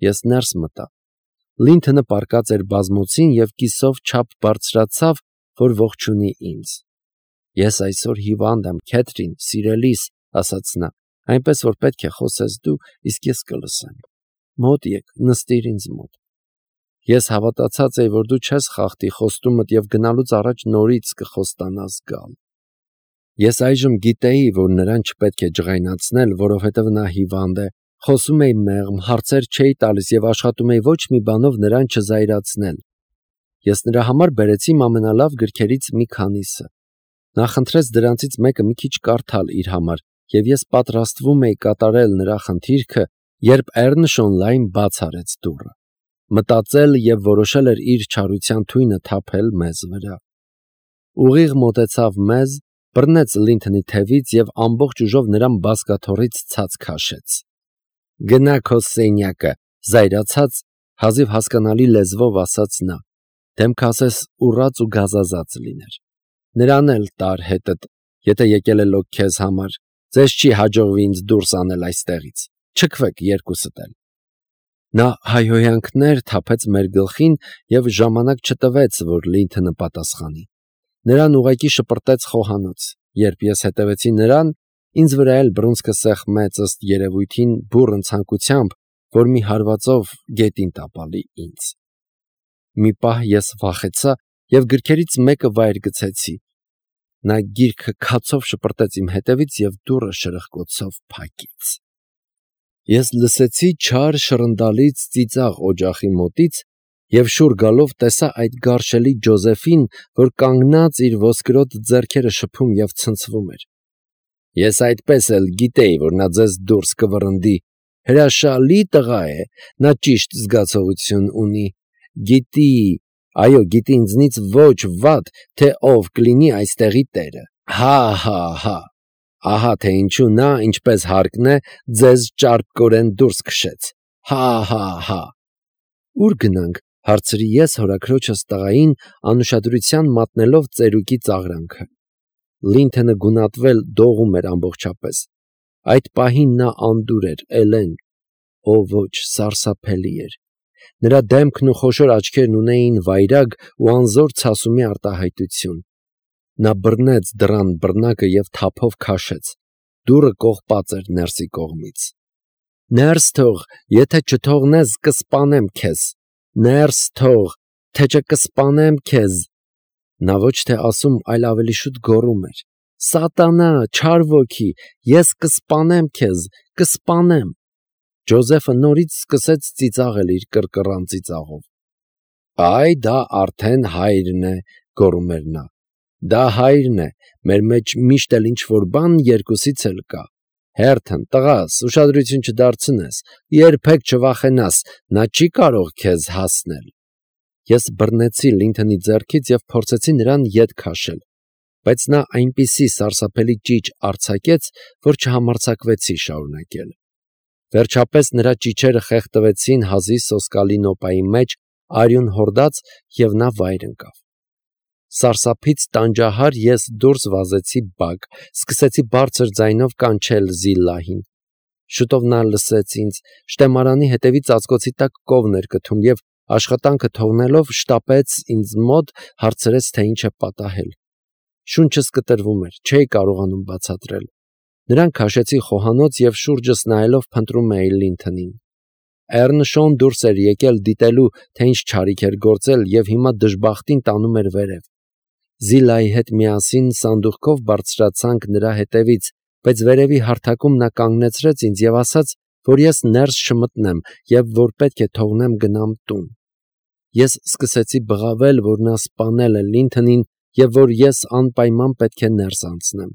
Ես ներս մտա։ Լինթոնը պառկած էր բազմոցին և կիսով չափ բարձրացավ, որ ողջունի ինձ։ Ես այսօր հիվանդ եմ, Քեթրին, սիրելիս, ասաց նա, այնպես որ պետք է խոսես դու, իսկ ես կլսեմ։ Մոտ եկ, նստիր ինձ մոտ։ Ես հավատացած էի, որ դու չես խախտի խոստումդ և գնալուց առաջ նորից կխոստանաս գալ։ Ես այժմ գիտեի, որ նրան չպետք է ջղայնացնել, որովհետև նա հիվանդ է, խոսում էի մեղմ, հարցեր չէի տալիս և աշխատում էի ոչ մի բանով նրան չզայրացնել։ Ես նրա համար բերեցի իմ ամենալավ գրքերից մի քանիսը։ Նա խնդրեց դրանցից մեկը մի քիչ կարդալ իր համար, և ես պատրաստվում էի կատարել նրա խնդիրքը, երբ Էռնշոն բաց արեց դուռը։ Մտածել և որոշել էր իր չարության թույնը թափել մեզ վրա։ Ուղիղ մոտեցավ մեզ, բռնեց Լինթոնի թևից և ամբողջ ուժով նրան բազկաթոռից ցած քաշեց։ Գնա քո սենյակը, զայրացած, հազիվ հասկանալի լեզվով ասաց նա, դեմքը ասես ուռած ու գազազած լիներ։ Նրան էլ տար հետդ, եթե եկել է լոկ քեզ համար, ձեզ չի հաջողվի ինձ դուրս անել այստեղից, չքվեք երկուսդ էլ։ Նա հայհոյանքներ թափեց մեր գլխին և ժամանակ չտվեց, որ Լինթոնը պատասխանի։ Նրան ուղղակի շպրտեց խոհանոց։ Երբ ես հետևեցի նրան, ինձ վրա էլ բռունցքը սեղմեց ըստ երևույթին բուռն ցանկությամբ, որ մի հարվածով գետին տապալի ինձ։ Մի պահ ես վախեցա և գրքերից մեկը վայր գցեցի։ Նա գիրքը քացով շպրտեց իմ հետևից և դուռը շրխկոցով փակեց։ Ես լսեցի չար շռնդալից ծիծաղ օջախի մոտից և շուռ գալով տեսա այդ գարշելի Ջոզեֆին, որ կանգնած իր ոսկրոտ ձեռքերը շփում և ցնցվում էր։ Ես այդպես էլ գիտեի, որ նա ձեզ դուրս կվռնդի, հրաշալի տղա է, նա ճիշտ զգացողություն ունի, գիտի, այո, գիտի ինձնից ոչ վատ, թե ով կլինի այստեղի տերը, հա, ահա թե ինչու նա, ինչպես հարկն է, ձեզ ճարպկորեն դուրս քշեց, հա։ Ո՞ւր գնանք, հարցրի ես հորաքրոջս տղային, անուշադրության մատնելով ծերուկի ծաղրանքը։ Լինթոնը գունատվել դողում էր ամբողջապես։ Այդ պահին նա անդուր էր, Էլեն, ոչ, սարսափելի էր։ Նրա դեմքն ու խոշոր աչքերն ունեին վայրագ ու անզոր ցասումի արտահայտություն։ Նա բռնեց դռան բռնակը և թափով քաշեց։ Դուռը կողպած էր ներսի կողմից։ Ներս թող, եթե չթողնես, կսպանեմ քեզ։ Ներս թող, թե չէ կսպանեմ քեզ։ Նա ոչ թե ասում, այլ ավելի շուտ գոռում էր. Սատանա, չար ոգի, ես կսպանեմ քեզ, կսպանեմ։ Ջոզեֆը նորից սկսեց ծիծաղել իր կռկռան ծիծաղով։ Այ դա արդեն հայրն է, գոռում էր նա։ Դա հայրն է, մեր մեջ միշտ էլ ինչ-որ բան երկուսից էլ կա։ Հերթն, տղաս, ուշադրություն չդարձնես, երբեք չվախենաս, նա չի կարող քեզ հասնել։ Ես բռնեցի Լինթոնի ձեռքից և փորձեցի նրան ետ քաշել, բայց նա այնպիսի սարսափելի ճիչ արձակեց, որ չհամարձակվեցի շարունակել։ Վերջապես նրա ճիչերը խեղդվեցին հազի սոսկալի նոպայի մեջ, արյուն հորդաց և նա վայր ընկավ։ Սարսափից տանջահար ես դուրս վազեցի բակ, սկսեցի բարձր ձայնով կանչել Զիլլահին։ Շուտով նա լսեց ինձ, շտեմարանի հետևի ծածկոցի տակ կովն էր կթում և աշխատանքը թողնելով շտապեց ինձ մոտ, հարցրեց, թե ինչ է պատահել։ Շունչս կտրվում էր, չէի կարողանում բացատրել։ Նրան քաշեցի խոհանոց և շուրջս նայելով փնտրում էի Լինթոնին։ Էռնշոն դուրս էր եկել դիտելու, թե ինչ չարիք էր գործել և հիմա դժբախտին տանում էր վերև։ Զիլայի հետ միասին սանդուղքով բարձրացանք նրա հետևից, բայց վերևի հարթակում նա կանգնեցրեց ինձ և ասաց, որ ես ներս չմտնեմ և որ պետք է թողնեմ գնամ տուն։ Ես սկսեցի բղավել, որ նա սպանել է Լինթոնին և որ ես անպայման պետք է ներս անցնեմ։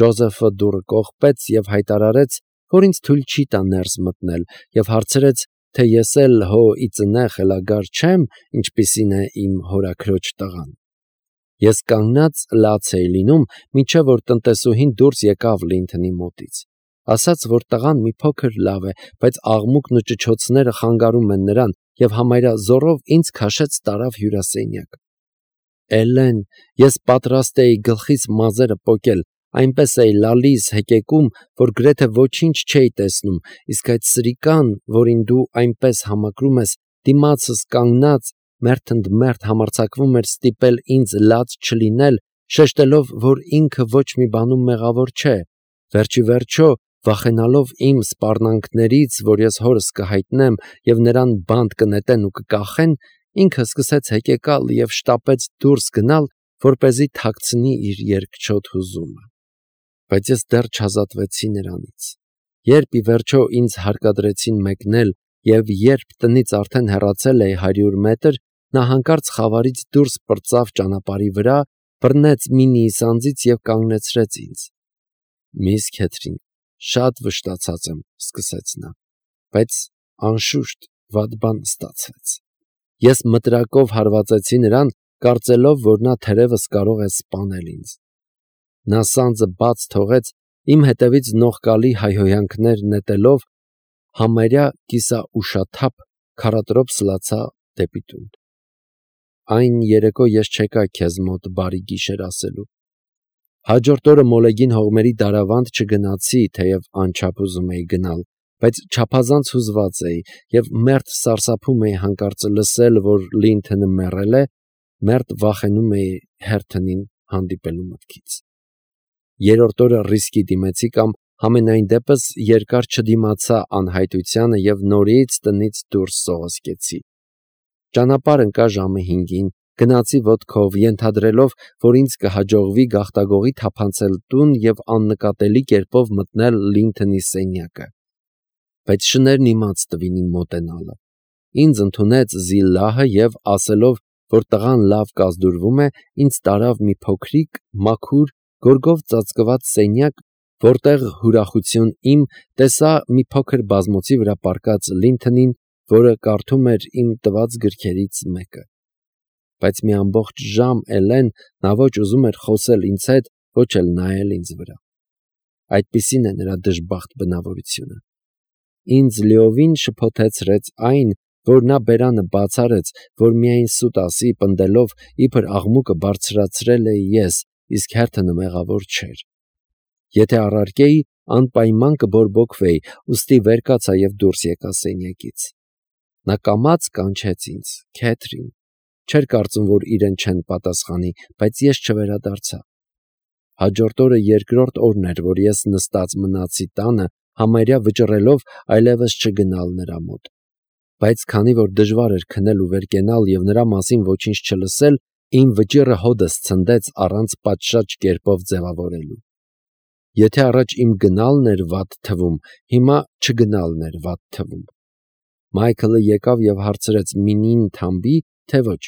Ջոզեֆը դուռը կողպեց և հայտարարեց, որ ինձ թույլ չի տա ներս մտնել և հարցրեց, թե ես էլ հո իծնե խելագար չեմ, ինչպիսին է իմ հորաքրոջ տղան։ Ես կանգնած լաց էի լինում, մինչև որ տնտեսուհին դուրս եկավ Լինթոնի մոտից։ Ասաց, որ տղան մի փոքր լավ է, բայց աղմուկն ու ճչոցները խանգարում են նրան և համարյա զոռով ինձ քաշեց տարավ հյուրասենյակ։ Էլեն, ես պատրաստ էի գլխիս մազերը պոկել, այնպես էի լալիս հեկեկում, որ գրեթե ոչինչ չէի տեսնում, իսկ այդ սրիկան, որին դու այնպես համակրում ես, դիմացս կանգնած, մերթընդմերթ համարձակվում էր ստիպել ինձ լաց չլինել, շեշտելով, որ ինքը ոչ մի բանում մեղավոր չէ, վերջիվերջո, վախենալով իմ սպառնալիքներից, որ ես հորս կհայտնեմ և նրան բանտ կնետեն ու կկախեն, ինքը սկսեց հեկեկալ և շտապեց դուրս գնալ, որպեսզի թաքցնի իր երկչոտ հուզումը։ Բայց ես դեռ չազատվեցի նրանից։ Երբ ի վերջո ինձ հարկադրեցին մեկնել և երբ տնից արդեն հեռացել էի 100 մետր, նա հանկարծ խավարից դուրս պրծավ ճանապարհի վրա, բռնեց մի նիիսանձից և կանգնեցրեց ինձ։ «Միս Քեթրին, շատ վշտացած եմ», սկսեց նա, բայց անշուշտ վատ բան ստացվեց։ Ես մտրակով հարվածեցի նրան, կարծելով, որ նա թերևս կարող է սպանել ինձ։ Նա սանձը բաց թողեց, իմ հետևից նողկալի հայհոյանքներ նետելով, համարյա կիսաուշաթափ քարատրոփ սլացա դեպի տուն։ Այն երեկո ես չեկա քեզ մոտ բարի գիշեր ասելու։ Հաջորդ օրը մոլեգին հողմերի դարավանդ չգնացի, թեև անչափ ուզում էի գնալ, բայց չափազանց հուզված էի և մերթ սարսափում էի հանկարծ լսել, որ Լինթոնը մեռել է, մերթ վախենում էի Հերթոնին հանդիպելու մտքից։ Երրորդ օրը ռիսկի դիմեցի կամ համենայն դեպս երկար չդիմացա անհայտությանը և նորից տնից դուրս սողոսկեցի։ Ճանապարհ ընկա ժամը 5-ին, գնացի ոտքով, ենթադրելով, որ ինձ կհաջողվի գաղտագողի թափանցել տուն և աննկատելի կերպով մտնել Լինթոնի սենյակը։ Բայց շներն իմաց տվին իմ մոտենալը։ Ինձ ընդունեց Զիլլահը և, ասելով, որ տղան լավ կազդուրվում է, ինձ տարավ մի փոքրիկ, մաքուր, գորգով ծածկված սենյակ, որտեղ հուրախություն իմ տեսա մի փոքր բազմոցի վրա պառկած Լինթոնին, որը կարդում էր իմ տված գրքերից մեկը։ Բայց մի ամբողջ ժամ էլեն նա ոչ ուզում էր խոսել ինձ հետ, ոչ էլ նայել ինձ վրա։ Այդպիսին է նրա դժբախտ բնավորությունը։ Ինձ լիովին շփոթեցրեց այն, որ նա բերանը բաց արեց, որ միայն սուտ ասի, պնդելով, իբր աղմուկը բարձրացրել էի ես, իսկ Հերթոնը մեղավոր չէր։ Եթե առարկեի, անպայման կբորբոքվեի, ուստի վեր կացա և դուրս եկա սենյակից։ Նա կամաց կանչեց ինձ. «Քեթրին»։ Չէր կարծում, որ իրեն չեն պատասխանի, բայց ես չվերադարձա։ Հաջորդ օրը երկրորդ օրն էր, որ ես նստած մնացի տանը, համարյա վճռելով այլևս չգնալ նրա մոտ։ Բայց քանի որ դժվար էր քնել ու վեր կենալ և նրա մասին ոչինչ չլսել, իմ վճիռը հօդս ցնդեց առանց պատշաճ կերպով ձևավորելու։ Եթե առաջ իմ գնալն էր վատ թվում, հիմա չգնալն էր վատ թվում։ Մայքլը եկավ և հարցրեց՝ մինին թամբի, թե ոչ։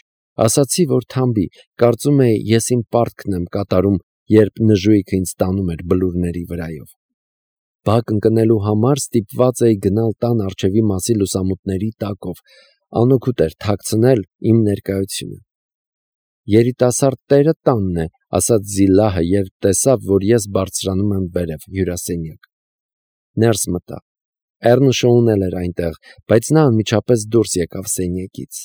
Ասացի, որ թամբի, կարծում էի ես իմ պարտքն եմ կատարում, երբ նժույգը ինձ տանում էր բլուրների վրայով։ Բակ ընկնելու համար ստիպված էի գնալ տան առջևի մասի լուսամուտների տակով, անօգուտ էր թաքցնել իմ ներկայությունը։ «Երիտասարդ տերը տանն է», ասաց Զիլլահը, երբ տեսավ, որ ես բարձրանում եմ վերև հյուրասենյակ։ Ներս մտա։ Էռնշոուն էլ էր այնտեղ, բայց նա անմիջապես դուրս եկավ սենյակից։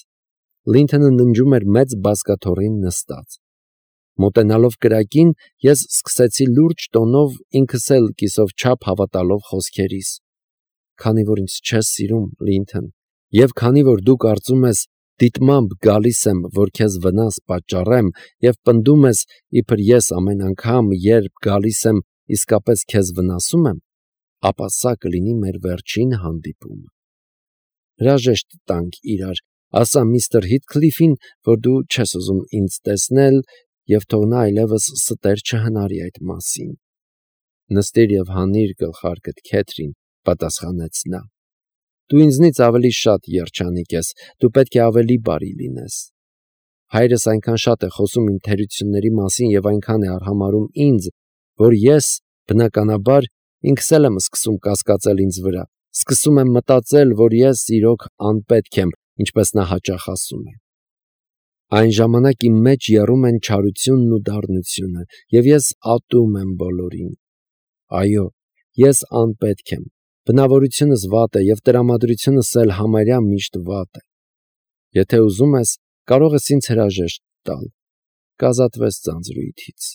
Լինթոնը ննջում էր մեծ բազկաթոռին նստած։ Մոտենալով կրակին, ես սկսեցի լուրջ տոնով ինքս էլ կիսով չափ հավատալով խոսքերիս. «Քանի որ ինձ չես սիրում, Լինթոն, և քանի որ դու կարծում ես դիտմամբ գալիս եմ, որ քեզ վնաս պատճառեմ, և պնդում ես, իբր ես ամեն անգամ, երբ գալիս եմ, իսկապես քեզ վնասում եմ, ապա սա կլինի մեր վերջին հանդիպումը։ Հրաժեշտ տանք իրար, ասա միստր Հիթքլիֆին, որ դու չես ուզում ինձ տեսնել, և թող նա այլևս ստեր չհնարի այդ մասին»։ «Նստիր և հանիր գլխարկդ, Քեթրին», պատասխանեց նա։ «Դու ինձնից ավելի շատ երջանիկ ես, դու պետք է ավելի բարի լինես։ Հայրս այնքան շատ է խոսում իմ թերությունների մասին և այնքան է արհամարհում ինձ, որ ես, բնականաբար, ինքս էլ եմ սկսում կասկածել ինձ վրա, սկսում եմ մտածել, որ ես իրոք անպետք եմ, ինչպես նա հաճախ ասում է։ Այն ժամանակ իմ մեջ եռում են չարությունն ու դառնությունը, և ես ատում եմ բոլորին։ Այո, ես անպետք եմ, բնավորությունս վատ է և տրամադրությունս էլ համարյա միշտ վատ է։ Եթե ուզում ես, կարող ես ինձ հրաժեշտ տալ, կազատվես ձանձրույթից։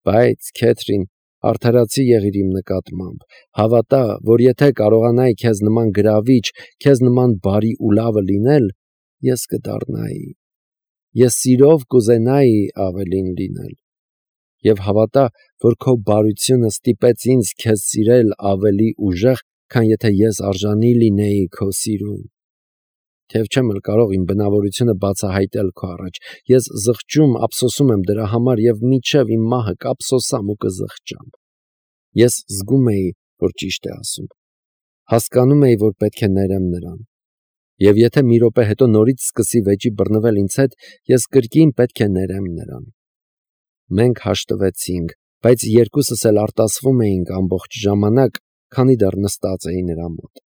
Բայց, Քեթրին, Արդարացի եղիր իմ նկատմամբ, հավատա, որ եթե կարողանայի քեզ նման գրավիչ, քեզ նման բարի ու լավը լինել, ես կդառնայի, ես սիրով կուզենայի ավելին լինել, և հավատա, որ քո բարությունը ստիպեց ինձ քեզ սիրել ավելի ուժեղ, քան եթե ես արժանի լինեի քո սիրուն, թեև չեմ էլ կարող իմ բնավորությունը բացահայտել քո առաջ, ես զղջում, ափսոսում եմ դրա համար և մինչև իմ մահը կափսոսամ ու կզղջամ, ես զգում էի, որ ճիշտ է ասում, հասկանում էի, որ պետք է ներեմ նրան, և եթե մի րոպե հետո նորից սկսի վեճի բռնվել ինձ հետ, ես կրկին պետք է ներեմ նրան, մենք հաշտվեցինք, բայց երկուսս էլ արտասվում էինք ամբողջ ժամանակ, քանի դեռ նստած էի նրա մոտ,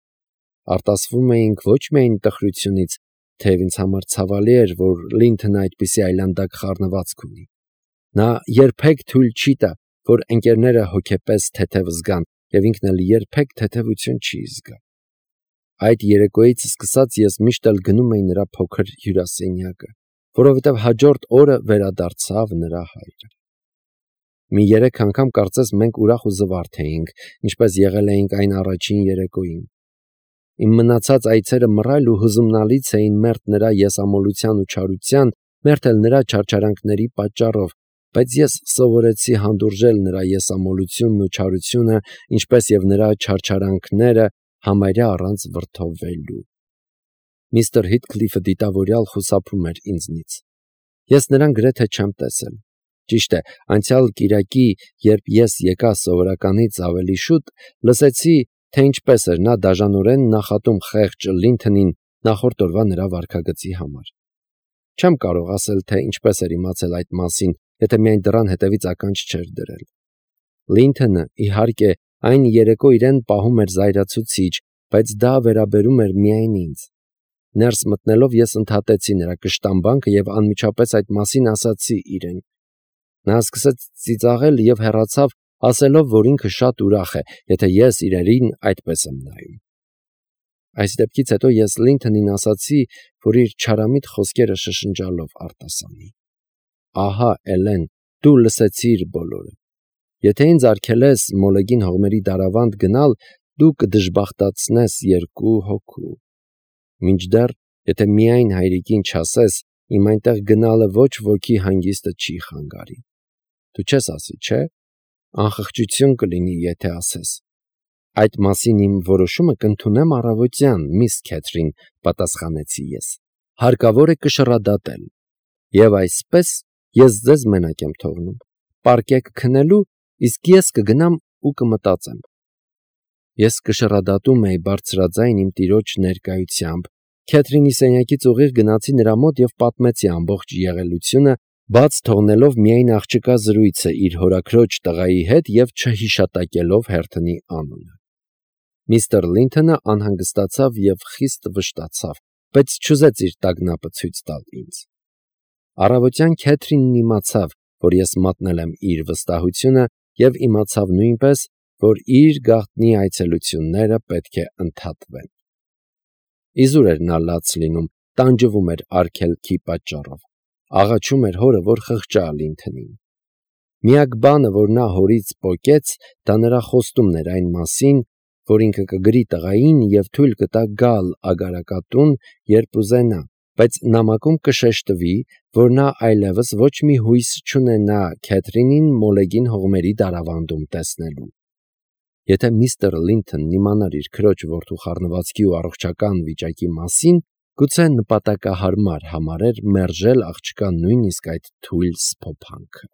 արտասվում էինք ոչ միայն տխրությունից, թեև ինձ համար ցավալի էր, որ Լինթոնը այդպիսի այլանդակ խառնվածք ունի, նա երբեք թույլ չի տա, որ ընկերները հոգեպես թեթև զգան, և ինքն էլ երբեք թեթևություն չի զգա, այդ երեկոյից սկսած ես միշտ էլ գնում էի նրա փոքր հյուրասենյակը, որովհետև հաջորդ օրը վերադարձավ նրա հայրը, մի 3 անգամ կարծես մենք ուրախ ու զվարթ էինք, ինչպես եղել էինք այն առաջին երեկոյին, իմ մնացած այցերը մռայլ ու հուզումնալից էին մերթ նրա եսամոլության ու չարության, մերթ էլ նրա չարչարանքների պատճառով, բայց ես սովորեցի հանդուրժել նրա եսամոլությունն ու չարությունը, ինչպես և նրա չարչարանքները համարյա առանց վրդովվելու։ Միստր Հիթքլիֆը դիտավորյալ խուսափում էր ինձնից։ Ես նրան գրեթե չեմ տեսել։ Ճիշտ է, անցյալ կիրակի, երբ ես եկա սովորականից ավելի շուտ, լսեցի, թե ինչպես էր նա դաժանորեն նախատում խեղճ Լինթոնին նախորդ օրվա նրա վարքագծի համար։ Չեմ կարող ասել, թե ինչպես էր իմացել այդ մասին, եթե միայն դռան հետևից ականջ չէր դրել։ Լինթոնը, իհարկե, այն երեկո իրեն պահում էր զայրացուցիչ, բայց դա վերաբերում էր միայն ինձ։ Ներս մտնելով ես ընդհատեցի նրա կշտամբանքը և անմիջապես այդ մասին ասացի իրեն։ Նա սկսեց ծիծաղել և հեռացավ, ասելով, որ ինքը շատ ուրախ է, եթե ես իրեն այդպես եմ նայում։ Այս դեպքից հետո ես Լինթոնին ասացի, որ իր չարամիտ խոսքերը շշնջալով արտասանի։ Ահա, Էլեն, դու լսեցիր բոլորը։ Եթե ինձ արգելես Մոլեգին հողմերի դարավանդ գնալ, դու կդժբախտացնես 2 հոգու։ Մինչդեռ, եթե միայն հայրիկին չասես, իմ այնտեղ գնալը ոչ ոքի հանգիստը չի խանգարի։ Դու չես ասի, չէ՞։ Անխղճություն կլինի, եթե ասես։ Այդ մասին իմ որոշումը կընդունեմ առավոտյան, միս Քեթրին, պատասխանեցի ես։ Հարկավոր է կշռադատել։ Եվ այսպես ես ձեզ մենակ եմ թողնում։ Պարկեք քնելու, իսկ ես կգնամ ու կմտածեմ։ Ես կշռադատում էի բարձրաձայն իմ տիրոջ ներկայությամբ։ Քեթրինի սենյակից ուղիղ գնացի նրա մոտ և պատմեցի ամբողջ եղելությունը, բաց թողնելով միայն աղջկա զրույցը իր հորաքրոջ տղայի հետ և չհիշատակելով Հերթոնի անունը։ Միստր Լինթոնը անհանգստացավ և խիստ վշտացավ, բայց չուզեց իր տագնապը ցույց տալ ինձ։ Առավոտյան Քեթրինն իմացավ, որ ես մատնել եմ իր վստահությունը և իմացավ նույնպես, որ իր գաղտնի այցելությունները պետք է ընդհատվեն։ Իզուր էր նա լաց լինում, տանջվում էր արգելքի պատճառով, աղաչում էր հորը, որ խղճա Լինթոնին։ Միակ բանը, որ նա հորից պոկեց, դա նրա խոստումն էր այն մասին, որ ինքը կգրի տղային և թույլ կտա գալ Ագարակատուն, երբ ուզենա, բայց նամակում կշեշտվի, որ նա այլևս ոչ մի հույս չունենա Քեթրինին Մոլեգին հողմերի դարավանդում տեսնելու։ Եթե միստր Լինթոնն իմանար իր քրոջ որդու խառնվածքի ու առողջական վիճակի մասին, գուցե նպատակահարմար համարեր մերժել աղջկա նույնիսկ այդ թույլ սփոփանքը։